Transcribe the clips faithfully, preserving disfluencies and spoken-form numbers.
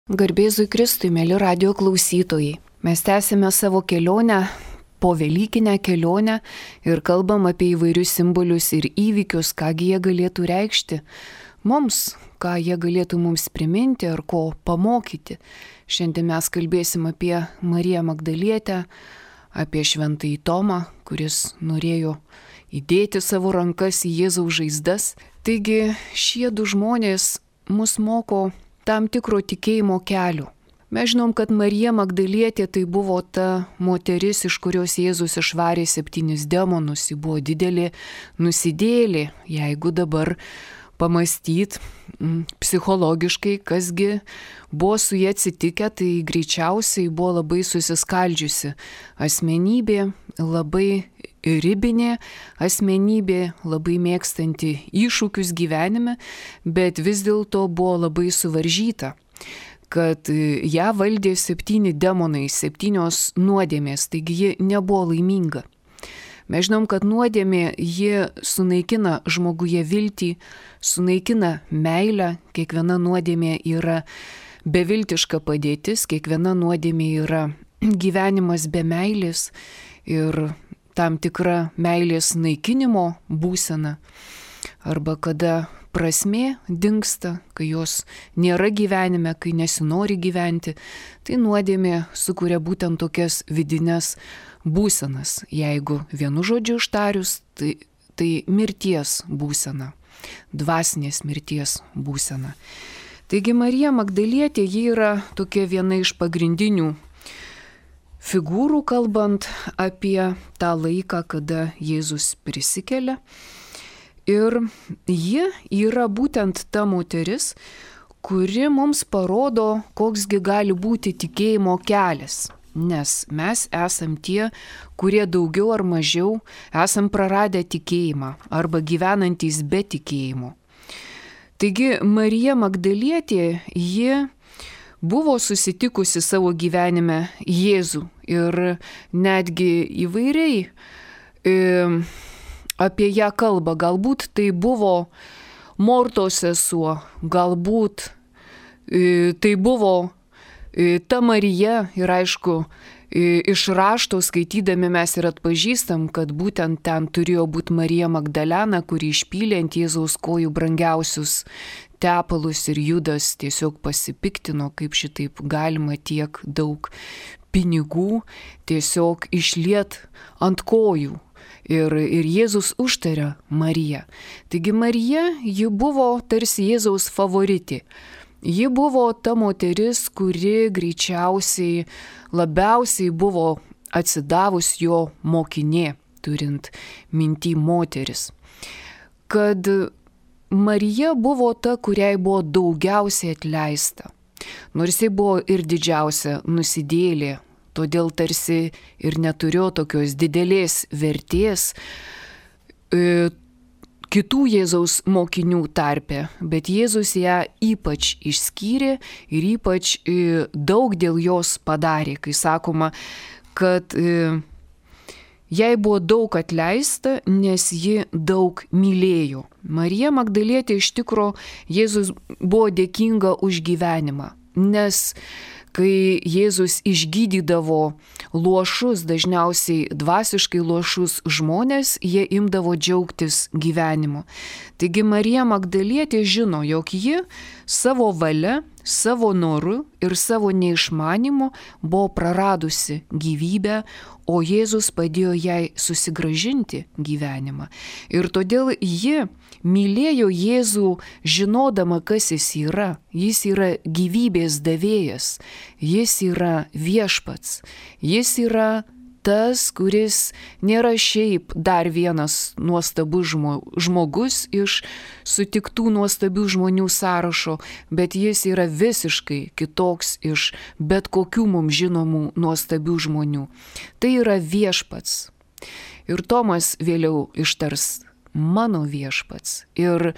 Garbėzui Kristui, mėly radio klausytojai. Mes tęsime savo kelionę, po Velykinę kelionę ir kalbam apie įvairius simbolius ir įvykius, kągi jie galėtų reikšti mums, ką jie galėtų mums priminti ar ko pamokyti. Šiandien mes kalbėsim apie Mariją Magdalietę, apie Šventąjį Tomą, kuris norėjo įdėti savo rankas į Jėzaus žaizdas. Taigi šie du žmonės mus moko tam tikro tikėjimo kelių. Mes žinom, kad Marija Magdalietė tai buvo ta moteris, iš kurios Jėzus išvarė septynis demonus. Ji buvo didelė nusidėjėlė. Jeigu dabar pamastyt psichologiškai, kasgi buvo su jie atsitikę, tai greičiausiai buvo labai susiskaldžiusi asmenybė, labai ribinė asmenybė, labai mėgstanti iššūkius gyvenime, bet vis dėlto buvo labai suvaržyta, kad ją valdė septyni demonai, septynios nuodėmės, taigi ji nebuvo laiminga. Mes žinom, kad nuodėmė ji sunaikina žmoguje viltį, sunaikina meilę, kiekviena nuodėmė yra beviltiška padėtis, kiekviena nuodėmė yra gyvenimas be meilės ir tam tikra meilės naikinimo būsena, arba kada prasmė dingsta, kai jos nėra gyvenime, kai nesinori gyventi, tai nuodėmė sukuria būtent tokias vidines būsenas. Jeigu vienu žodžiu ištarius, tai, tai mirties būsena, dvasinės mirties būsena. Taigi Marija Magdalietė, ji yra tokia viena iš pagrindinių figūrų, kalbant apie tą laiką, kada Jėzus prisikelia. Ir ji yra būtent ta moteris, kuri mums parodo, koksgi gali būti tikėjimo kelias. Nes mes esam tie, kurie daugiau ar mažiau esam praradę tikėjimą arba gyvenantys be tikėjimo. Taigi Marija Magdalietė, ji buvo susitikusi savo gyvenime Jėzų ir netgi įvairiai e, apie ją kalba. Galbūt tai buvo Mortos sesuo, galbūt e, tai buvo e, ta Marija ir aišku, e, iš rašto skaitydami mes ir atpažįstam, kad būtent ten turėjo būti Marija Magdalena, kuri išpylė ant Jėzaus kojų brangiausius tepalus ir Judas tiesiog pasipiktino, kaip šitaip galima tiek daug pinigų tiesiog išliet ant kojų. Ir, ir Jėzus užtaria Mariją. Taigi Marija, ji buvo tarsi Jėzaus favoritė. Ji buvo ta moteris, kuri greičiausiai labiausiai buvo atsidavus jo mokinė, turint minty moteris. Kad Marija buvo ta, kuriai buvo daugiausiai atleista. Nors ji buvo ir didžiausia nusidėjėlė, todėl tarsi ir neturėjo tokios didelės vertės e, kitų Jėzaus mokinių tarpe, bet Jėzus ją ypač išskyrė ir ypač e, daug dėl jos padarė, kai sakoma, kad e, jai buvo daug atleista, nes ji daug mylėjo. Marija Magdalietė iš tikro Jėzus buvo dėkinga už gyvenimą, nes kai Jėzus išgydydavo luošus, dažniausiai dvasiškai luošus žmonės, jie imdavo džiaugtis gyvenimu. Taigi Marija Magdalietė žino, jog ji savo valia, savo noru ir savo neišmanimu buvo praradusi gyvybę, o Jėzus padėjo jai susigrąžinti gyvenimą. Ir todėl ji mylėjo Jėzų, žinodama, kas jis yra. Jis yra gyvybės davėjas, jis yra viešpats, jis yra tas, kuris nėra šiaip dar vienas nuostabus žmogus iš sutiktų nuostabių žmonių sąrašo, bet jis yra visiškai kitoks iš bet kokių mums žinomų nuostabių žmonių. Tai yra viešpats. Ir Tomas vėliau ištars mano viešpats. Ir,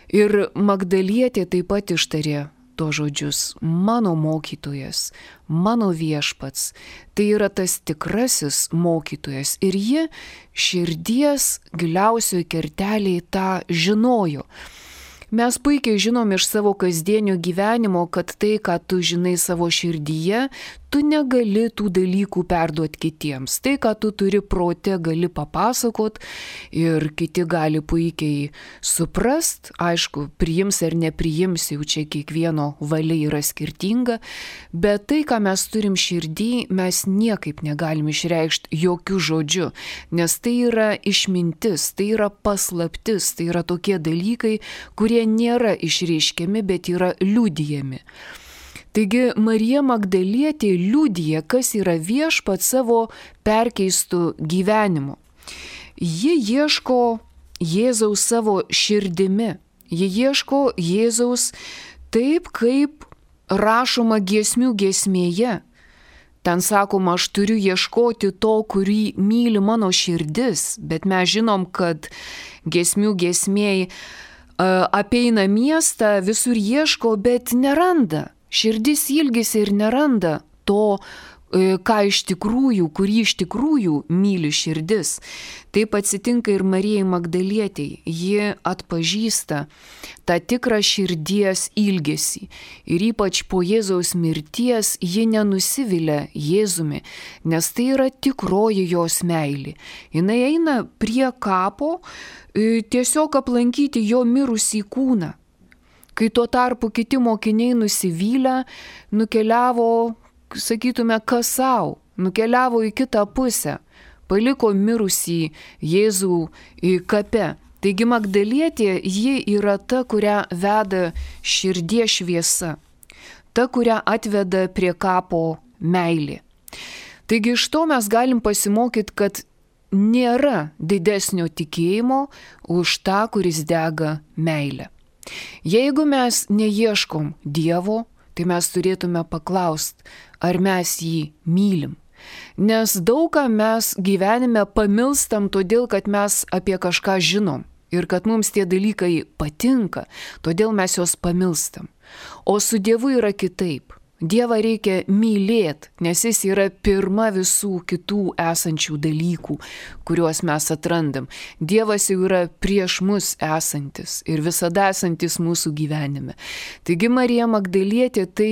ir Magdalietė taip pat ištarė to žodžius, mano mokytojas, mano viešpats. Tai yra tas tikrasis mokytojas. Ir ji širdies giliausioje kertelėje tą žinojo. Mes puikiai žinom iš savo kasdienio gyvenimo, kad tai, ką tu žinai savo širdyje, tu negali tų dalykų perduoti kitiems. Tai, ką tu turi prote, gali papasakot ir kiti gali puikiai suprast. Aišku, priims ar nepriims, jau čia kiekvieno valia yra skirtinga, bet tai, ką mes turim širdį, mes niekaip negalim išreikšti jokių žodžių, nes tai yra išmintis, tai yra paslaptis, tai yra tokie dalykai, kurie nėra išreiškiami, bet yra liudijami. Taigi Marija Magdalietė liudija, kas yra viešpat savo perkeistų gyvenimu. Ji ieško Jėzaus savo širdimi. Ji ieško Jėzaus taip, kaip rašoma giesmių giesmėje. Ten sakoma, aš turiu ieškoti to, kurį myli mano širdis, bet mes žinom, kad giesmių giesmėj apeina miestą, visur ieško, bet neranda. Širdis ilgisi ir neranda to, ką iš tikrųjų, kurį iš tikrųjų myli širdis. Taip atsitinka ir Marijai Magdalietei. Ji atpažįsta tą tikrą širdies ilgesį. Ir ypač po Jėzaus mirties ji nenusivilia Jėzumi, nes tai yra tikroji jos meilė. Jis eina prie kapo tiesiog aplankyti jo mirusį kūną. Kai tuo tarpu kiti mokiniai nusivylę, nukeliavo, sakytume, kas sau, nukeliavo į kitą pusę, paliko mirusį Jėzų kape. Taigi Magdalietė, ji yra ta, kurią veda širdies šviesa, ta, kurią atveda prie kapo meilė. Taigi iš to mes galim pasimokyti, kad nėra didesnio tikėjimo už tą, kuris dega meilę. Jeigu mes neieškom Dievo, tai mes turėtume paklausti, ar mes jį mylim. Nes daug ką mes gyvenime pamilstam todėl, kad mes apie kažką žinom ir kad mums tie dalykai patinka, todėl mes juos pamilstam. O su Dievu yra kitaip. Dievą reikia mylėti, nes jis yra pirma visų kitų esančių dalykų, kuriuos mes atrandam. Dievas jau yra prieš mus esantis ir visada esantis mūsų gyvenime. Taigi Marija Magdalietė, tai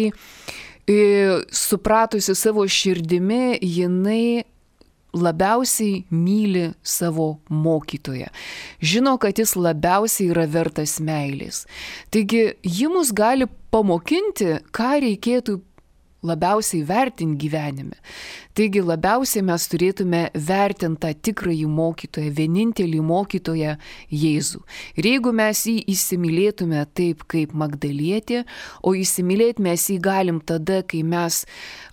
e, supratusi savo širdimi, jinai labiausiai myli savo mokytoją. Žino, kad jis labiausiai yra vertas meilės. Taigi ji mus gali pamokinti, ką reikėtų labiausiai vertinti gyvenime. Taigi labiausiai mes turėtume vertinti tą tikrąjį mokytoją, vienintelį mokytoją Jėzų. Ir jeigu mes jį įsimylėtume taip kaip Magdalietė, o įsimylėti mes jį galim tada, kai mes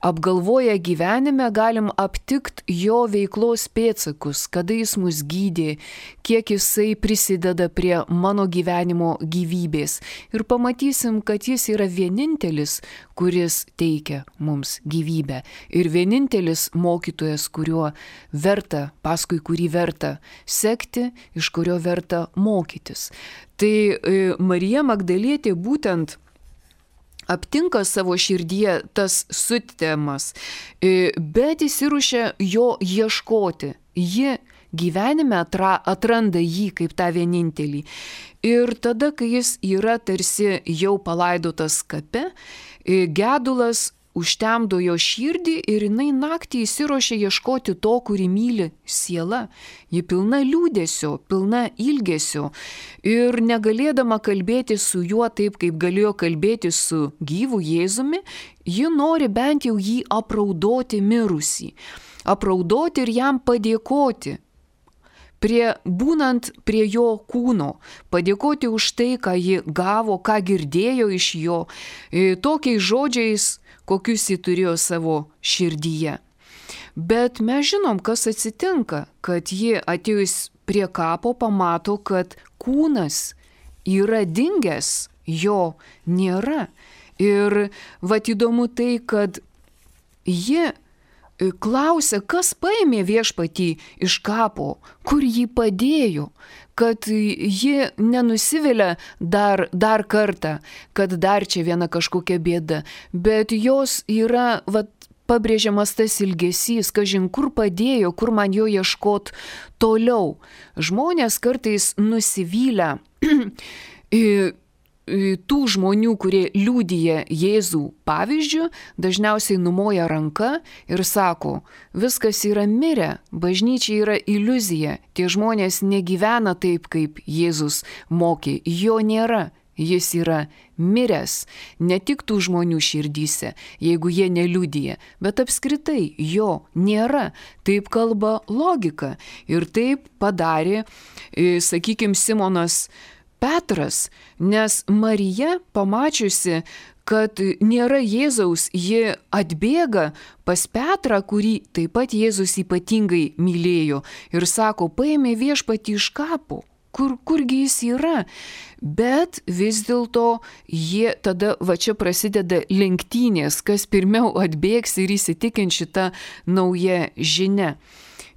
apgalvoję gyvenime galim aptikti jo veiklos pėdsakus, kada jis mus gydė, kiek jisai prisideda prie mano gyvenimo gyvybės. Ir pamatysim, kad jis yra vienintelis, kuris teikia mums gyvybę. Ir vienintelis mokytojas, kuriuo verta, paskui kurį verta sekti, iš kurio verta mokytis. Tai e, Marija Magdalietė būtent aptinka savo širdyje tas sutemas, e, bet įsiruošia jo ieškoti. Ji gyvenime atra, atranda jį kaip tą vienintelį. Ir tada, kai jis yra tarsi jau palaidotas kape, e, gedulas užtemdo jo širdį ir jinai naktį įsiruošia ieškoti to, kurį myli siela. Ji pilna liūdesio, pilna ilgesio ir negalėdama kalbėti su juo taip, kaip galėjo kalbėti su gyvu Jėzumi, ji nori bent jau jį apraudoti mirusį. Apraudoti ir jam padėkoti. Prie, būnant prie jo kūno, padėkoti už tai, ką ji gavo, ką girdėjo iš jo, e, tokiais žodžiais, kokius jį turėjo savo širdyje. Bet mes žinom, kas atsitinka, kad ji atėjus prie kapo pamato, kad kūnas yra dingęs, jo nėra. Ir vat įdomu tai, kad ji klausia, kas paėmė viešpatį iš kapo, kur jį padėjo, kad ji nenusivilia dar, dar kartą, kad dar čia viena kažkokia bėda, bet jos yra, vat, pabrėžiamas tas ilgesys, kažin kur padėjo, kur man jo ieškot toliau. Žmonės kartais nusivylę tų žmonių, kurie liudija Jėzų pavyzdžių, dažniausiai numoja ranka ir sako, viskas yra mirę, bažnyčia yra iliuzija, tie žmonės negyvena taip, kaip Jėzus mokė, jo nėra, jis yra miręs, ne tik tų žmonių širdyse, jeigu jie neliudija, bet apskritai jo nėra, taip kalba logika ir taip padarė, sakykime, Simonas Petras, nes Marija, pamačiusi, kad nėra Jėzaus, ji atbėga pas Petrą, kurį taip pat Jėzus ypatingai mylėjo ir sako, paėmė viešpatį iš kapo, kur, kurgi jis yra. Bet vis dėlto jie tada, va čia prasideda lenktynės, kas pirmiau atbėgs ir įsitikins šitą naują žinią.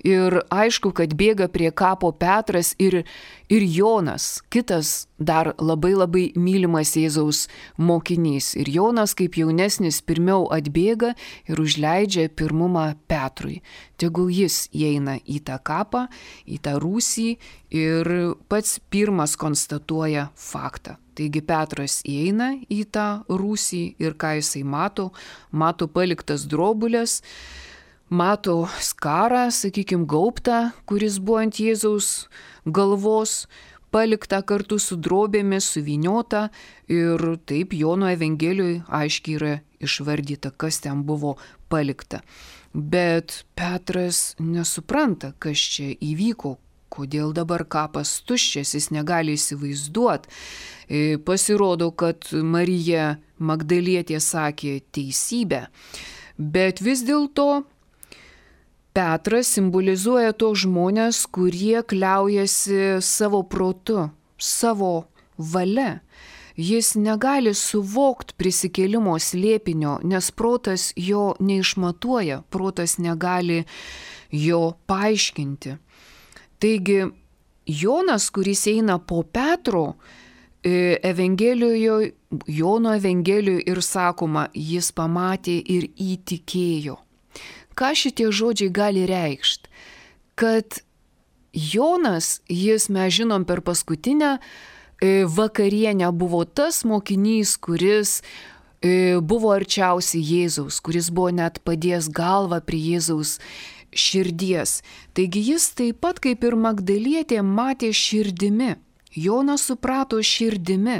Ir aišku, kad bėga prie kapo Petras ir, ir Jonas, kitas dar labai labai mylimas Jėzaus mokinys. Ir Jonas kaip jaunesnis pirmiau atbėga ir užleidžia pirmumą Petrui. Tegul jis įeina į tą kapą, į tą rūsį ir pats pirmas konstatuoja faktą. Taigi Petras įeina į tą rūsį ir ką jisai mato, mato paliktas drobulės, mato skarą, sakykime, gaubtą, kuris buvo ant Jėzaus galvos, paliktą kartu su drobėmis, suvyniota ir taip Jono Evangelijoje aiškiai yra išvardyta, kas ten buvo palikta. Bet Petras nesupranta, kas čia įvyko, kodėl dabar kapas tuščias, jis negali įsivaizduoti. Pasirodo, kad Marija Magdalietė sakė teisybę, bet vis dėlto Petras simbolizuoja tos žmonės, kurie kliaujasi savo protu, savo valia. Jis negali suvokti prisikėlimo slėpinio, nes protas jo neišmatuoja, protas negali jo paaiškinti. Taigi Jonas, kuris eina po Petro, Evangelijoje, Jono Evangelijoje ir sakoma, jis pamatė ir įtikėjo. Ką šitie žodžiai gali reikšti? Kad Jonas, jis, mes žinom, per paskutinę vakarienę buvo tas mokinys, kuris buvo arčiausiai Jėzaus, kuris buvo net padėjęs galvą prie Jėzaus širdies. Taigi jis taip pat kaip ir Magdalietė matė širdimi. Jonas suprato širdimi.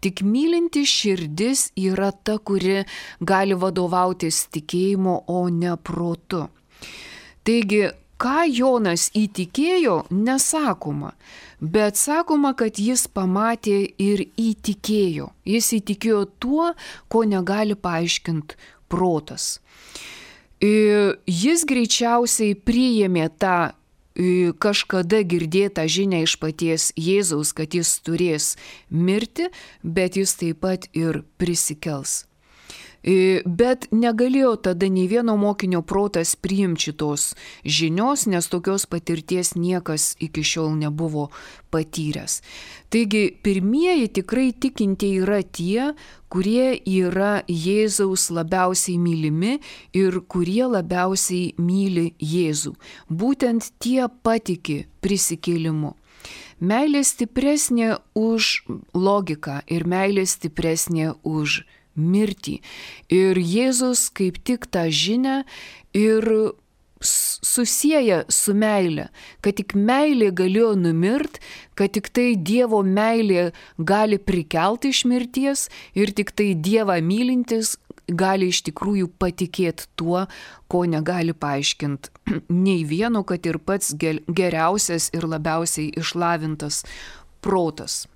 Tik mylinti širdis yra ta, kuri gali vadovautis tikėjimu, o ne protu. Taigi, ką Jonas įtikėjo, nesakoma, bet sakoma, kad jis pamatė ir įtikėjo. Jis įtikėjo tuo, ko negali paaiškinti protas. Jis greičiausiai priėmė tą kažkada girdėtą žinią iš paties Jėzaus, kad jis turės mirti, bet jis taip pat ir prisikels. Bet negalėjo tada nei vieno mokinio protas priimti šitos žinios, nes tokios patirties niekas iki šiol nebuvo patyręs. Taigi pirmieji tikrai tikintieji yra tie, kurie yra Jėzaus labiausiai mylimi ir kurie labiausiai myli Jėzų. Būtent tie patiki prisikėlimu. Meilė stipresnė už logiką ir meilė stipresnė už mirtį. Ir Jėzus kaip tik tą žinią ir susieja su meilė, kad tik meilė galėjo numirt, kad tik tai Dievo meilė gali prikelti iš mirties ir tik tai Dievą mylintis gali iš tikrųjų patikėti tuo, ko negali paaiškinti nei vieno, kad ir pats geriausias ir labiausiai išlavintas protas.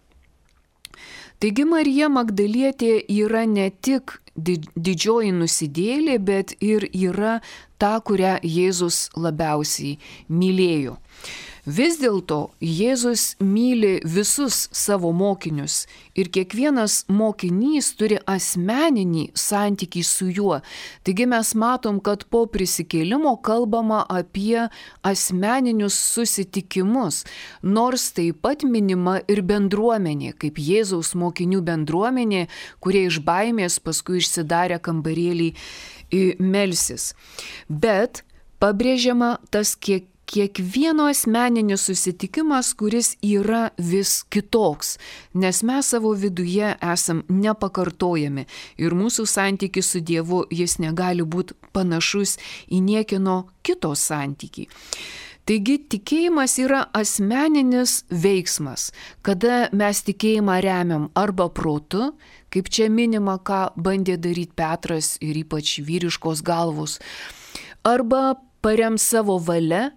Taigi Marija Magdalietė yra ne tik didžioji nusidėjėlė, bet ir yra ta, kurią Jėzus labiausiai mylėjo. Vis dėlto Jėzus myli visus savo mokinius ir kiekvienas mokinys turi asmeninį santykį su juo. Taigi mes matom, kad po prisikėlimo kalbama apie asmeninius susitikimus, nors taip pat minima ir bendruomenė, kaip Jėzaus mokinių bendruomenė, kurie iš baimės paskui išsidarę kambarėlį melsis. Bet pabrėžiama tas kiek kiekvieno asmeninis susitikimas, kuris yra vis kitoks, nes mes savo viduje esam nepakartojami ir mūsų santykis su Dievu jis negali būti panašus į niekieno kito santykį. Taigi tikėjimas yra asmeninis veiksmas, kada mes tikėjimą remiam arba protu, kaip čia minima, ką bandė daryti Petras ir ypač vyriškos galvos, arba parem savo valia,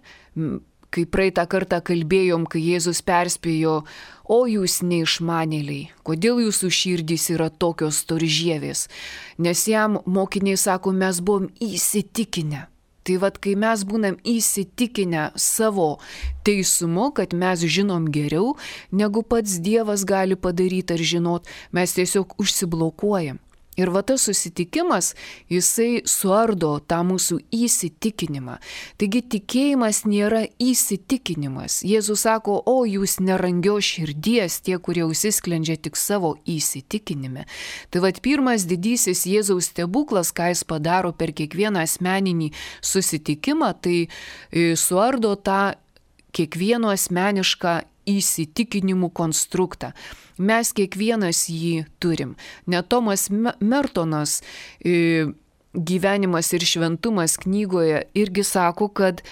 kai praeitą kartą kalbėjom, kai Jėzus perspėjo, o jūs neišmanėliai, kodėl jūsų širdys yra tokios storžievės, nes jam mokiniai sako, mes buvom įsitikinę. Tai vad, kai mes būnam įsitikinę savo teisumu, kad mes žinom geriau, negu pats Dievas gali padaryti ar žinot, mes tiesiog užsiblokuojam. Ir va tas susitikimas, jisai suardo tą mūsų įsitikinimą. Taigi tikėjimas nėra įsitikinimas. Jėzus sako, o jūs nerangios širdies, tie, kurie užsisklendžia tik savo įsitikinime. Tai va pirmas didysis Jėzaus stebuklas, ką jis padaro per kiekvieną asmeninį susitikimą, tai suardo tą kiekvieno asmenišką įsitikinimų konstruktą. Mes kiekvienas jį turim. Net Tomas Mertonas Gyvenimas ir šventumas knygoje irgi sako, kad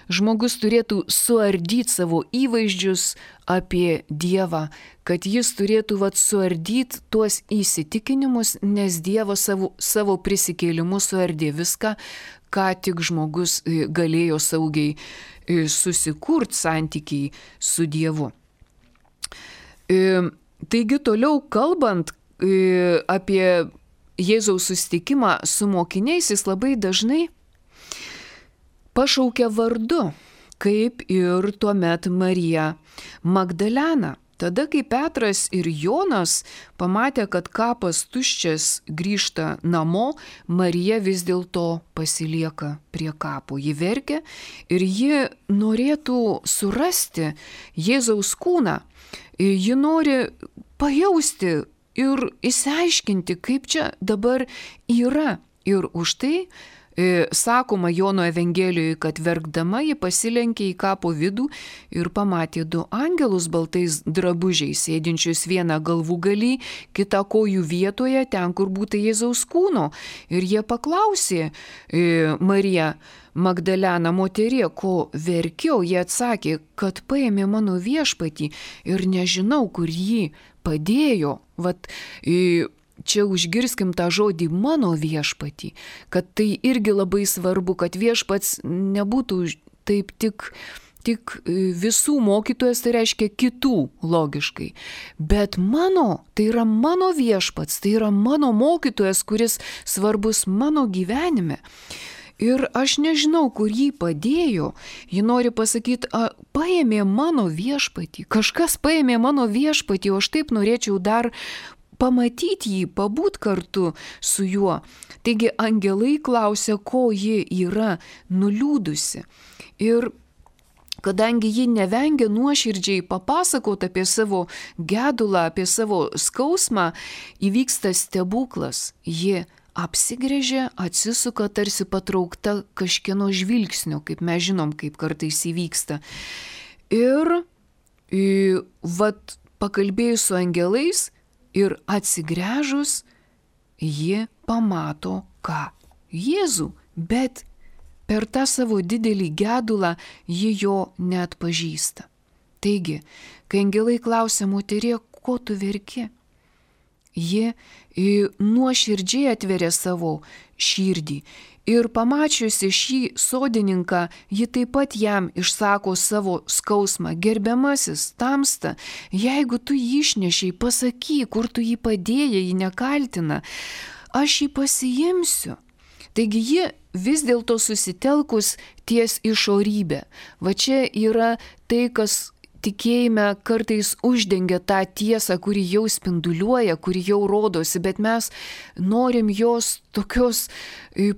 žmogus turėtų suardyti savo įvaizdžius apie Dievą, kad jis turėtų vat, suardyti tuos įsitikinimus, nes Dievas savo, savo prisikėlimu suardė viską, ką tik žmogus galėjo saugiai susikurti santykiai su Dievu. Taigi toliau kalbant apie Jėzaus susitikimą su mokiniais, jis labai dažnai pašaukia vardu, kaip ir tuomet Marija Magdalena. Tada, kai Petras ir Jonas pamatė, kad kapas tuščias, grįžta namo, Marija vis dėlto pasilieka prie kapo. Ji verkia ir ji norėtų surasti Jėzaus kūną. Ji nori pajausti ir išsiaiškinti, kaip čia dabar yra. Ir už tai e, sakoma Jono Evangelijoje, kad verkdama ji pasilenkė į kapo vidų ir pamatė du angelus baltais drabužiais, sėdinčius vieną galvų galį, kitą kojų vietoje, ten, kur būtų Jėzaus kūno. Ir jie paklausė e, Mariją Magdaleną, moterie, ko verkiau, jie atsakė, kad paėmė mano viešpatį ir nežinau, kur jį padėjo. Vat, čia užgirskim tą žodį mano viešpatį, kad tai irgi labai svarbu, kad viešpats nebūtų taip tik, tik visų mokytojas, tai reiškia kitų logiškai. Bet mano, tai yra mano viešpats, tai yra mano mokytojas, kuris svarbus mano gyvenime. Ir aš nežinau, kur jį padėjo. Ji nori pasakyti, a, paėmė mano viešpatį. Kažkas paėmė mano viešpatį, o aš taip norėčiau dar pamatyti jį, pabūt kartu su juo. Taigi angelai klausia, ko ji yra nuliūdusi. Ir kadangi ji nevengia nuoširdžiai papasakoti apie savo gedulą, apie savo skausmą, įvyksta stebuklas. Ji apsigręžia, atsisuka tarsi patraukta kažkieno žvilgsnio, kaip mes žinom, kaip kartais įvyksta. Ir vat pakalbėjus su angelais ir atsigręžus, ji pamato ką? Jėzų, bet per tą savo didelį gedulą ji jo neatpažįsta. Taigi, kai angelai klausia, moterie, ko tu verki? Ji nuoširdžiai atveria savo širdį ir pamačiusi šį sodininką, ji taip pat jam išsako savo skausmą. Gerbiamasis, tamsta, jeigu tu jį išnešiai, pasakyk, kur tu jį padėjai, jį nekaltina, aš jį pasiimsiu. Taigi ji vis dėlto susitelkus ties išorybę. Va čia yra tai, kas tikėjime kartais uždengia tą tiesą, kuri jau spinduliuoja, kuri jau rodosi, bet mes norim jos tokios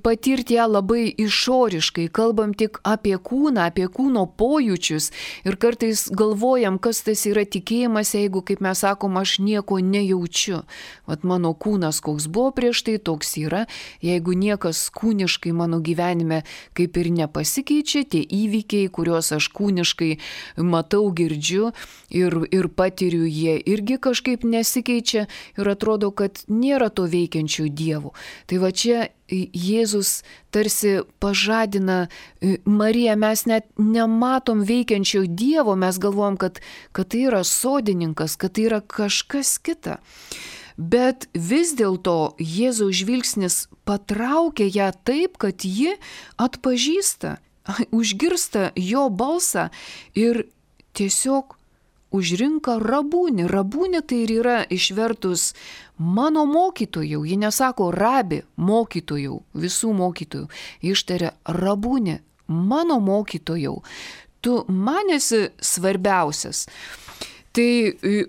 patirti ją labai išoriškai, kalbam tik apie kūną, apie kūno pojūčius ir kartais galvojam, kas tas yra tikėjimas, jeigu, kaip mes sakom, aš nieko nejaučiu. Vat mano kūnas koks buvo prieš tai, toks yra, jeigu niekas kūniškai mano gyvenime kaip ir nepasikeičia, tie įvykiai, kuriuos aš kūniškai matau, girdžiu ir, ir patiriu, jie irgi kažkaip nesikeičia ir atrodo, kad nėra to veikiančių dievų. Tai va čia Jėzus tarsi pažadina Mariją, mes net nematom veikiančio Dievo, mes galvom, kad, kad tai yra sodininkas, kad tai yra kažkas kita. Bet vis dėlto Jėzaus žvilgsnis patraukia ją taip, kad ji atpažįsta, užgirsta jo balsą ir tiesiog užrinka rabūnį. Rabūnį tai ir yra išvertus mano mokytojau. Ji nesako rabi, mokytojau, visų mokytojų. Ištaria rabūnį, mano mokytojau. Tu man esi svarbiausias. Tai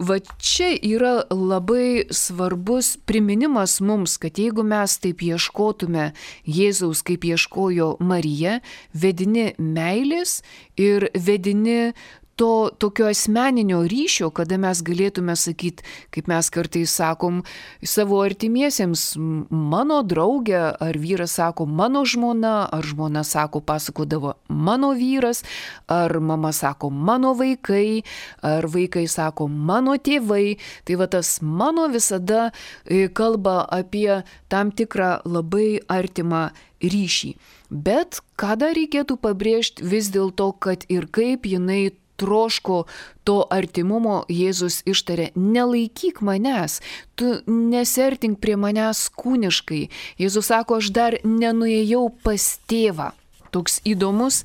va čia yra labai svarbus priminimas mums, kad jeigu mes taip ieškotume Jėzaus, kaip ieškojo Marija, vedini meilės ir vedini to tokio asmeninio ryšio, kada mes galėtume sakyti, kaip mes kartais sakom savo artimiesiems, mano draugė, ar vyras sako mano žmona, ar žmona sako, pasakodavo mano vyras, ar mama sako mano vaikai, ar vaikai sako mano tėvai. Tai va tas mano visada kalba apie tam tikrą labai artimą ryšį. Bet ką dar reikėtų pabrėžti vis dėlto, kad ir kaip jinai troško to artimumo, Jėzus ištarė, nelaikyk manęs, tu nesiartink prie manęs kūniškai. Jėzus sako, aš dar nenuėjau pas tėvą. Toks įdomus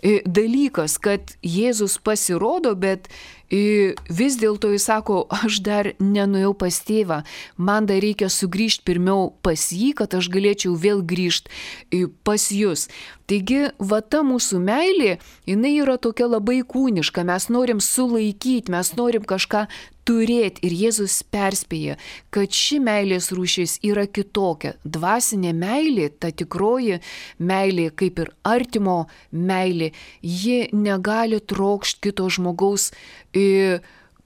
dalykas, kad Jėzus pasirodo, bet vis dėlto jis sako, aš dar nenuėjau pas tėvą, man dar reikia sugrįžti pirmiau pas jį, kad aš galėčiau vėl grįžti pas jūs. Taigi, va ta mūsų meilė, jinai yra tokia labai kūniška, mes norim sulaikyti, mes norim kažką turėti ir Jėzus perspėja, kad ši meilės rūšis yra kitokia. Dvasinė meilė, ta tikroji meilė, kaip ir artimo meilė, ji negali trokšti kito žmogaus,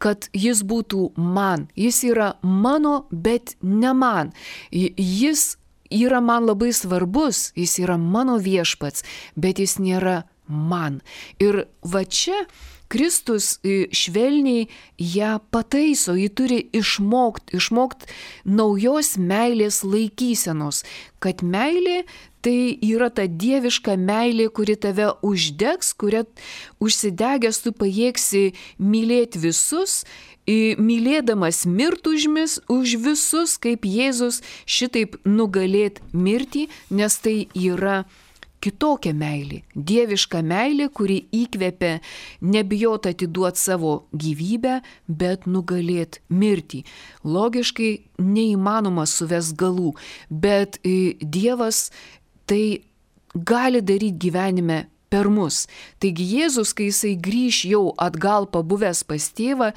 kad jis būtų man. Jis yra mano, bet ne man. Jis yra man labai svarbus, jis yra mano viešpats, bet jis nėra man. Ir va čia Kristus švelniai ją pataiso, ji turi išmokti, išmokti naujos meilės laikysenos, kad meilė tai yra ta dieviška meilė, kuri tave uždegs, kuria užsidegęs tu pajėgsi mylėti visus, mylėdamas mirt užmis už visus, kaip Jėzus, šitaip nugalėti mirtį, nes tai yra kitokia meilė, dieviška meilė, kuri įkvepia nebijot atiduoti savo gyvybę, bet nugalėti mirtį. Logiškai neįmanoma suvest galų, bet Dievas tai gali daryti gyvenime per mus. Taigi Jėzus, kai jisai grįš jau atgal pabuvęs pas tėvą,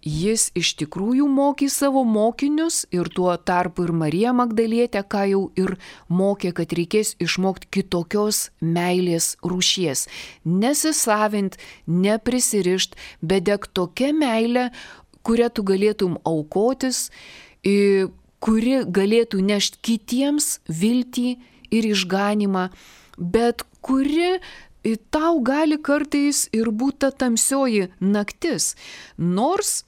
jis iš tikrųjų mokys savo mokinius ir tuo tarpu ir Marija Magdalietė, ką jau ir mokė, kad reikės išmokti kitokios meilės rūšies. Nesisavint, neprisirišt, bet deg tokia meilė, kurią tu galėtum aukotis, kuri galėtų nešti kitiems viltį ir išganimą, bet kuri tau gali kartais ir būti ta tamsioji naktis. Nors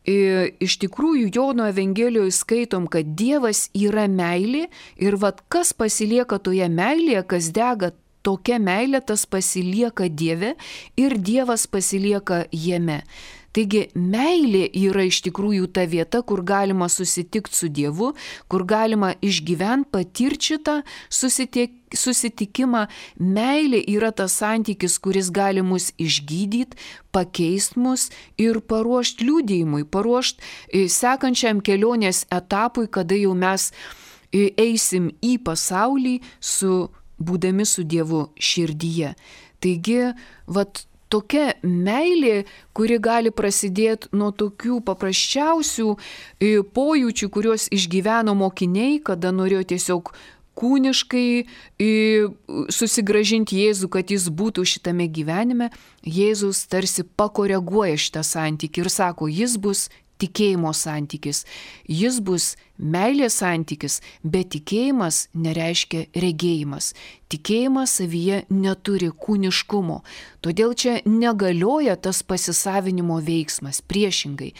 e, iš tikrųjų Jono Evangelijoje skaitom, kad Dievas yra meilė ir vat kas pasilieka toje meilėje, kas dega tokia meilė, tas pasilieka Dieve ir Dievas pasilieka jame. Taigi meilė yra iš tikrųjų ta vieta, kur galima susitikti su Dievu, kur galima išgyventi, patirti šitą susitik, susitikimą. Meilė yra tas santykis, kuris gali mus išgydyti, pakeisti mus ir paruošti liudijimui, paruošti sekančiam kelionės etapui, kada jau mes eisim į pasaulį su, būdami su Dievu širdyje. Taigi, vat, tokia meilė, kuri gali prasidėti nuo tokių paprasčiausių pojūčių, kuriuos išgyveno mokiniai, kada norėjo tiesiog kūniškai susigrąžinti Jėzų, kad jis būtų šitame gyvenime. Jėzus tarsi pakoreguoja šitą santykį ir sako, jis bus tikėjimo santykis, jis bus meilės santykis, bet tikėjimas nereiškia regėjimas. Tikėjimas savyje neturi kūniškumo, todėl čia negalioja tas pasisavinimo veiksmas, priešingai.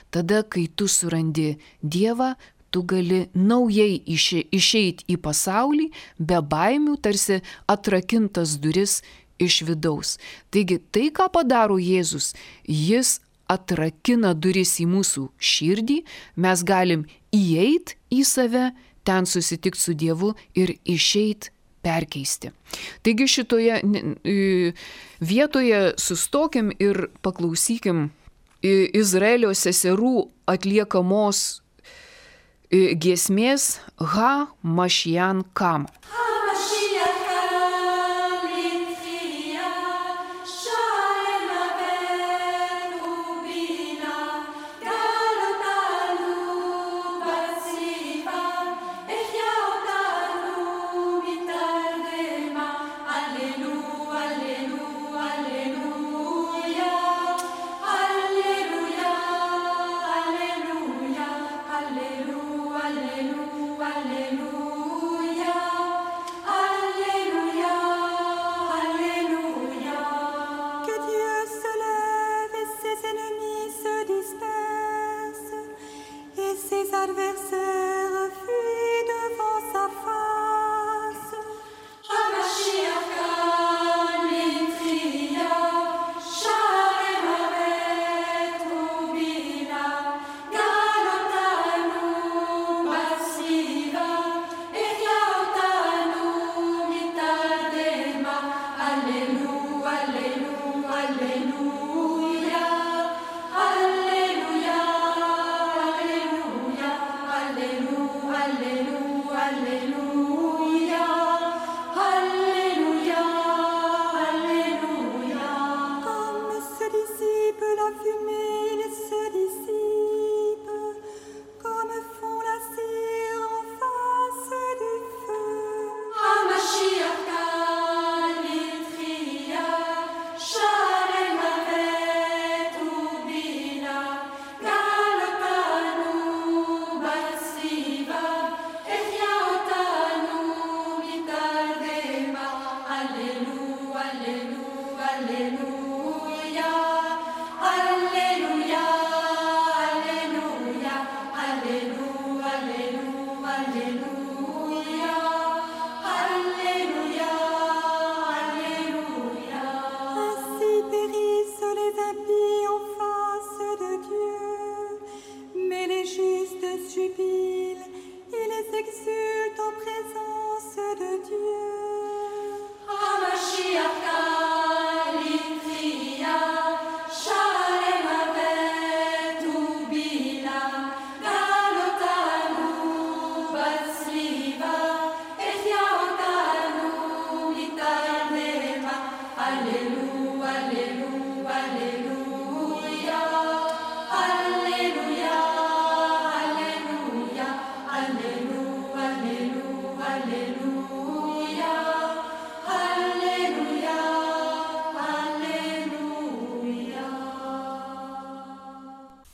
Tada, kai tu surandi Dievą, tu gali naujai išeiti į pasaulį, be baimių, tarsi atrakintas duris iš vidaus. Taigi tai, ką padaro Jėzus, jis atrakina duris į mūsų širdį, mes galim įeiti į save, ten susitikti su Dievu ir išeiti perkeisti. Taigi šitoje vietoje sustokim ir paklausykim Izraelio seserų atliekamos giesmės Ha Mashiach Kam.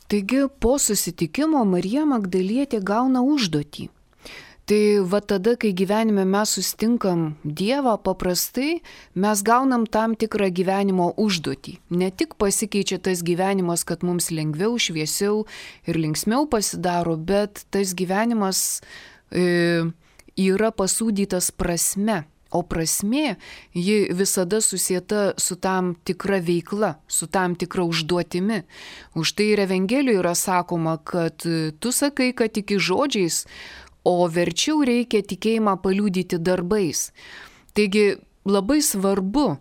Taigi po susitikimo Marija Magdalietė gauna užduotį. Tai va tada, kai gyvenime mes susitinkam Dievą, paprastai mes gaunam tam tikrą gyvenimo užduotį. Ne tik pasikeičia tas gyvenimas, kad mums lengviau, šviesiau ir linksmiau pasidaro, bet tas gyvenimas e, yra pasūdytas prasme. O prasmė, ji visada susieta su tam tikra veikla, su tam tikra užduotimi. Už tai ir Evangelijoje yra sakoma, kad tu sakai, kad tiki žodžiais, o verčiau reikia tikėjimą paliudyti darbais. Taigi labai svarbu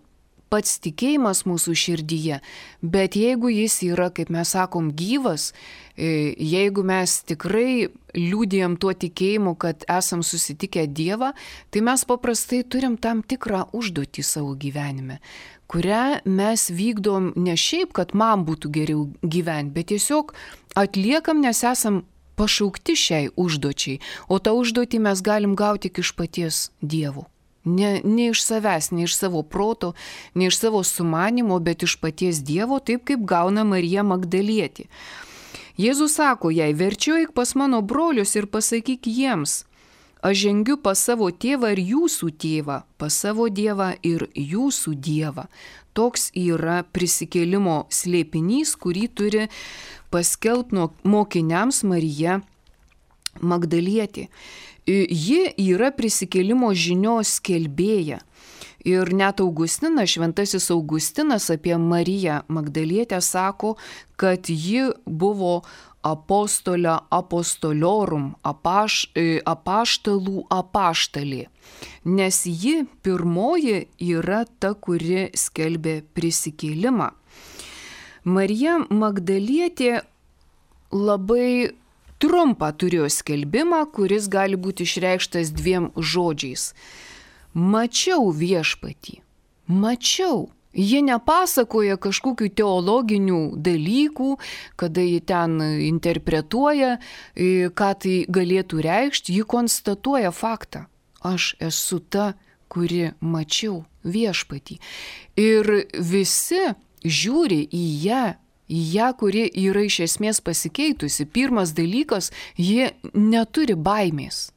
pats tikėjimas mūsų širdyje, bet jeigu jis yra, kaip mes sakom, gyvas, jeigu mes tikrai liūdėjom tuo tikėjimu, kad esam susitikę Dievą, tai mes paprastai turim tam tikrą užduotį savo gyvenime, kurią mes vykdom ne šiaip, kad man būtų geriau gyventi, bet tiesiog atliekam, nes esam pašaukti šiai užduočiai, o tą užduotį mes galim gauti tik iš paties Dievo. Ne, ne iš savęs, ne iš savo proto, ne iš savo sumanimo, bet iš paties Dievo, taip kaip gauna Marija Magdalietė. Jėzus sako jai, verčiau eik pas mano brolius ir pasakyk jiems, aš žengiu pas savo tėvą ir jūsų tėvą, pas savo Dievą ir jūsų Dievą. Toks yra prisikėlimo slėpinys, kurį turi paskelbti mokiniams Marija Magdalietė. Ji yra prisikėlimo žinios skelbėja. Ir net Augustinas, šventasis Augustinas apie Mariją Magdalietę sako, kad ji buvo apostolė apostoliorum, apaš, apaštalų apaštalė. Nes ji pirmoji yra ta, kuri skelbė prisikėlimą. Marija Magdalietė labai trumpą turėjo skelbimą, kuris gali būti išreikštas dviem žodžiais. Mačiau viešpatį. Mačiau. Ji nepasakoja kažkokių teologinių dalykų, kada ji ten interpretuoja, ką tai galėtų reikšti, ji konstatuoja faktą. Aš esu ta, kuri mačiau viešpatį. Ir visi žiūri į ją, į ją, kuri yra iš esmės pasikeitusi. Pirmas dalykas, jie neturi baimės.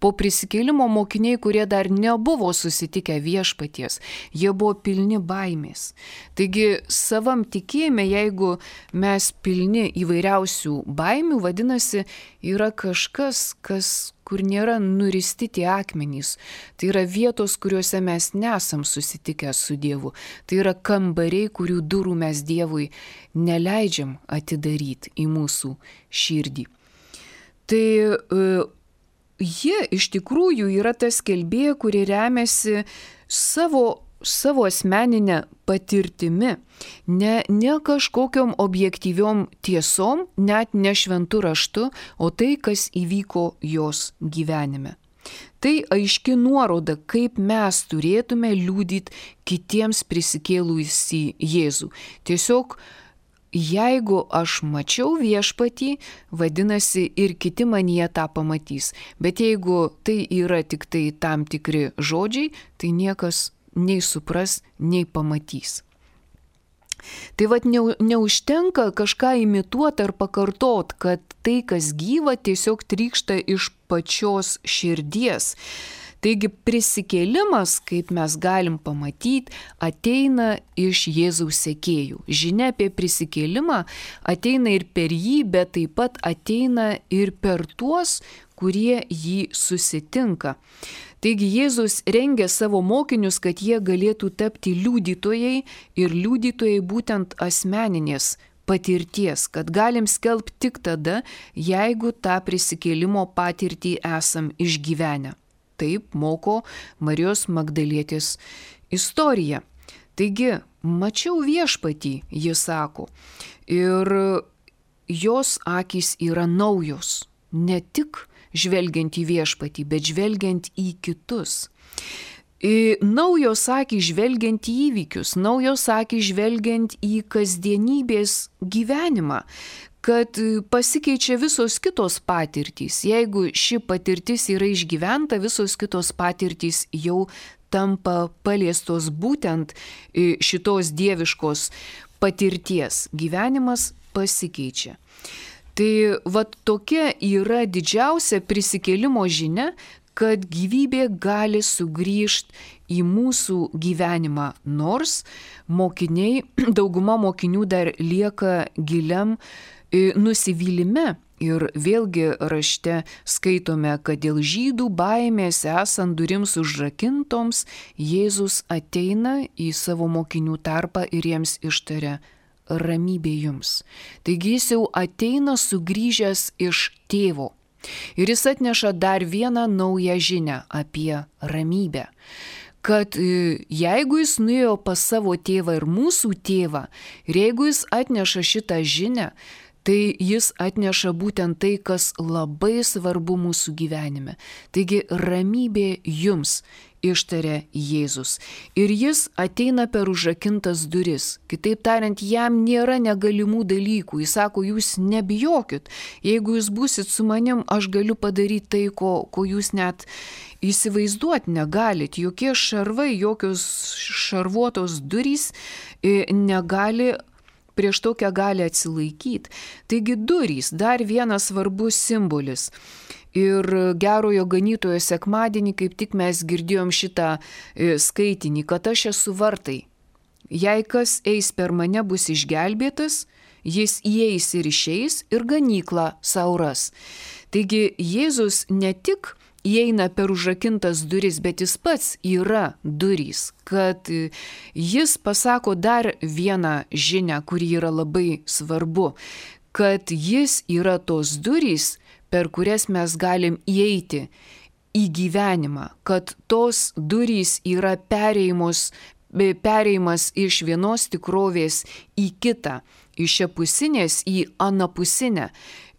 Po prisikėlimo mokiniai, kurie dar nebuvo susitikę viešpaties, jie buvo pilni baimės. Taigi savam tikėjime, jeigu mes pilni įvairiausių baimių, vadinasi, yra kažkas, kas, kur nėra nuristi tie akmenys. Tai yra vietos, kuriuose mes nesam susitikę su Dievu. Tai yra kambariai, kurių durų mes Dievui neleidžiam atidaryti į mūsų širdį. Tai ji iš tikrųjų yra ta skelbėja, kuri remiasi savo, savo asmeninę patirtimi, ne, ne kažkokiom objektyviom tiesom, net ne šventu raštu, o tai, kas įvyko jos gyvenime. Tai aiški nuoroda, kaip mes turėtume liudyti kitiems prisikėlusį Jėzų. Tiesiog jeigu aš mačiau viešpatį, vadinasi ir kiti manyje tą pamatys. Bet jeigu tai yra tik tai tam tikri žodžiai, tai niekas nei supras, nei pamatys. Tai vad neužtenka kažką imituoti ar pakartot, kad tai, kas gyva, tiesiog trykšta iš pačios širdies. Taigi prisikėlimas, kaip mes galim pamatyti, ateina iš Jėzaus sekėjų. Žinia apie prisikėlimą ateina ir per jį, bet taip pat ateina ir per tuos, kurie jį susitinka. Taigi Jėzus rengia savo mokinius, kad jie galėtų tapti liudytojai ir liudytojai būtent asmeninės patirties, kad galim skelbti tik tada, jeigu tą prisikėlimo patirtį esam išgyvenę. Taip moko Marijos Magdalietės istorija. Taigi, mačiau viešpatį, ji sako, ir jos akys yra naujos, ne tik žvelgiant į viešpatį, bet žvelgiant į kitus. Naujos akys žvelgiant į įvykius, naujos akys žvelgiant į kasdienybės gyvenimą, kad pasikeičia visos kitos patirtys. Jeigu ši patirtis yra išgyventa, visos kitos patirtys jau tampa paliestos būtent šitos dieviškos patirties. Gyvenimas pasikeičia. Tai vat tokia yra didžiausia prisikėlimo žinia, kad gyvybė gali sugrįžti į mūsų gyvenimą, nors mokiniai, dauguma mokinių dar lieka giliam nusivylime. Ir vėlgi rašte skaitome, kad dėl žydų baimės esant durims užrakintoms, Jėzus ateina į savo mokinių tarpą ir jiems ištaria: ramybė jums. Taigi jis jau ateina sugrįžęs iš tėvo. Ir jis atneša dar vieną naują žinią apie ramybę. kad jeigu jis nuėjo pas savo tėvą ir mūsų tėvą, ir jeigu jis atneša šitą žinią, tai jis atneša būtent tai, kas labai svarbu mūsų gyvenime. Taigi ramybė jums, ištarė Jėzus. Ir jis ateina per užrakintas duris. Kitaip tariant, jam nėra negalimų dalykų. Jis sako, jūs nebijokit. Jeigu jūs būsit su manim, aš galiu padaryti tai, ko, ko jūs net įsivaizduoti negalit. Jokie šarvai, jokios šarvuotos durys negali prieš tokią gali atsilaikyti. Taigi durys, dar vienas svarbus simbolis. Ir gerojo ganytojo sekmadienį, kaip tik mes girdėjom šitą skaitinį, kad aš esu vartai. Jei kas eis per mane bus išgelbėtas, jis įeis ir išeis ir ganyklą sauras. Taigi Jėzus ne tik įeina per užrakintas duris, bet jis pats yra durys, kad jis pasako dar vieną žinią, kuri yra labai svarbu, kad jis yra tos durys, per kurias mes galim įeiti į gyvenimą, kad tos durys yra perėjimas, perėjimas iš vienos tikrovės į kitą, iš šiapusinės į anapusinę,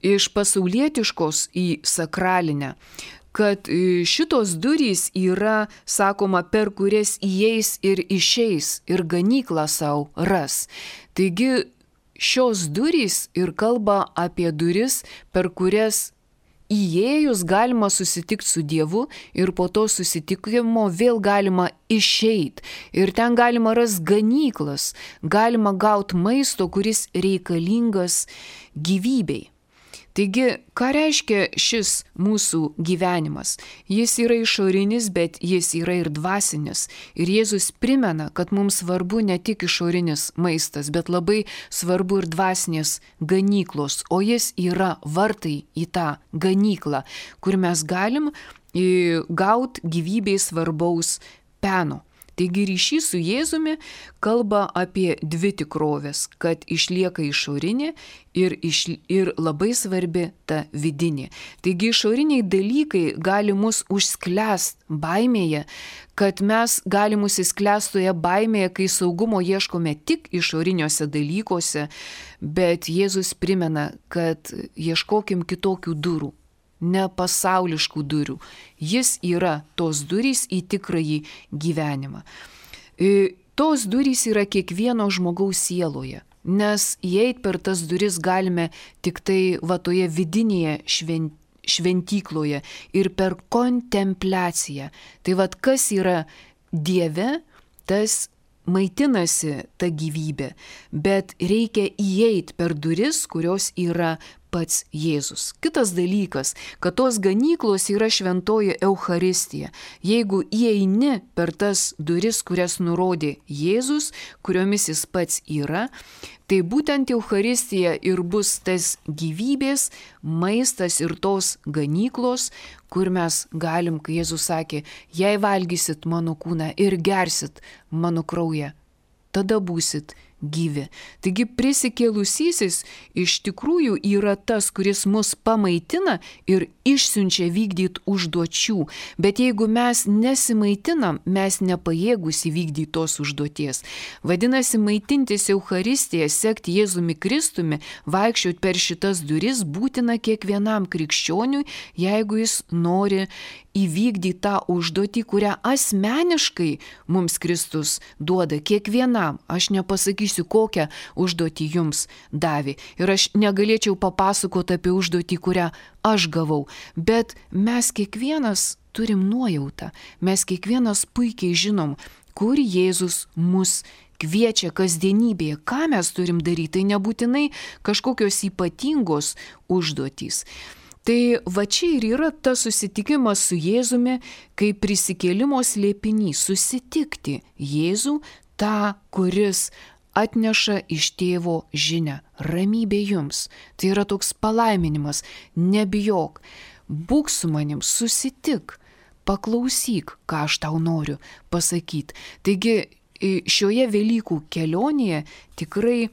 iš pasaulietiškos į sakralinę. Kad šitos durys yra, sakoma, per kurias įeis ir išeis ir ganyklą savo ras. Taigi šios durys ir kalba apie duris, per kurias įėjus galima susitikti su Dievu ir po to susitikimo vėl galima išeiti. Ir ten galima rasti ganyklas, galima gauti maisto, kuris reikalingas gyvybei. Taigi, ką reiškia šis mūsų gyvenimas? Jis yra išorinis, bet jis yra ir dvasinis. Ir Jėzus primena, kad mums svarbu ne tik išorinis maistas, bet labai svarbu ir dvasinės ganyklos. O jis yra vartai į tą ganyklą, kur mes galim gauti gyvybei svarbaus peno. Taigi ryšys su Jėzumi kalba apie dvi tikrovės, kad išlieka išorinė ir, iš, ir labai svarbi ta vidinė. Taigi išoriniai dalykai gali mus užsklęst baimėje, kad mes galim užsisklęst toje baimėje, kai saugumo ieškome tik išoriniuose dalykuose, bet Jėzus primena, kad ieškokim kitokių durų. Ne pasauliškų durų. Jis yra tos durys į tikrąjį gyvenimą. Tos durys yra kiekvieno žmogaus sieloje, nes įeit per tas duris galime tik tai va toje vidinėje švent, šventykloje ir per kontempliaciją. Tai vad kas yra Dieve, tas maitinasi ta gyvybė, bet reikia įeit per duris, kurios yra pats Jėzus. Kitas dalykas, kad tos ganyklos yra šventoji Eucharistija. Jeigu įeini per tas duris, kurias nurodė Jėzus, kuriomis jis pats yra, tai būtent Eucharistija ir bus tas gyvybės, maistas ir tos ganyklos, kur mes galim, kai Jėzus sakė, jei valgysit mano kūną ir gersit mano kraują, tada būsit gyvi. Taigi prisikėlusysis iš tikrųjų yra tas, kuris mus pamaitina ir išsiunčia vykdyti užduočių. Bet jeigu mes nesimaitinam, mes nepajėgus įvykdyti tos užduoties. Vadinasi, maitintis Eucharistiją, sekti Jėzumi Kristumi, vaikščioti per šitas duris būtina kiekvienam krikščioniui, jeigu jis nori įvykdyti tą užduotį, kurią asmeniškai mums Kristus duoda kiekvienam. Aš nepasakysiu, kokią užduotį jums davė. Ir aš negalėčiau papasakoti apie užduotį, kurią aš gavau. Bet mes kiekvienas turim nuojautą. Mes kiekvienas puikiai žinom, kur Jėzus mus kviečia kasdienybėje, ką mes turim daryti. Tai nebūtinai kažkokios ypatingos užduotys. Tai va čia ir yra tas susitikimas su Jėzumi, kaip prisikėlimo slėpinys, susitikti Jėzų, tą, kuris atneša iš tėvo žinią. Ramybė jums. Tai yra toks palaiminimas. Nebijok. Būk su manim, susitik. Paklausyk, ką aš tau noriu pasakyti. Taigi šioje Velykų kelionėje tikrai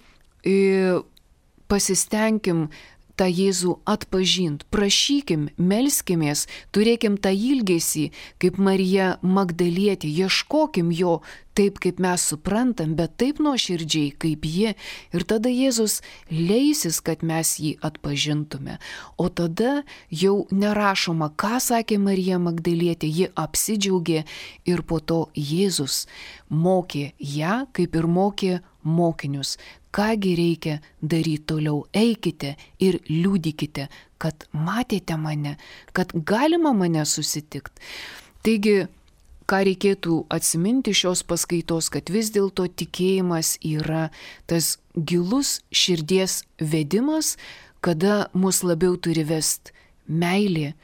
pasistengim tą Jėzų atpažint, prašykim, melskimės, turėkim tą ilgesį, kaip Marija Magdalietė, ieškokim jo taip, kaip mes suprantam, bet taip nuoširdžiai, kaip ji. Ir tada Jėzus leisis, kad mes jį atpažintume. O tada jau nerašoma, ką sakė Marija Magdalietė, ji apsidžiaugė ir po to Jėzus mokė ją, kaip ir mokė mokinius. Kągi reikia daryti toliau? Eikite ir liudykite, kad matėte mane, kad galima mane susitikti. Taigi, ką reikėtų atsiminti šios paskaitos, kad vis dėlto tikėjimas yra tas gilus širdies vedimas, kada mus labiau turi vest meilė,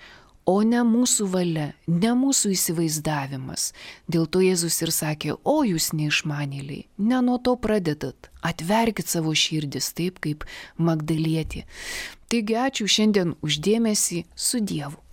o ne mūsų valia, ne mūsų įsivaizdavimas. Dėl to Jėzus ir sakė, o jūs neišmanėliai, ne nuo to pradedat, atverkit savo širdis taip kaip Magdalietė. Taigi ačiū šiandien už dėmesį, su Dievu.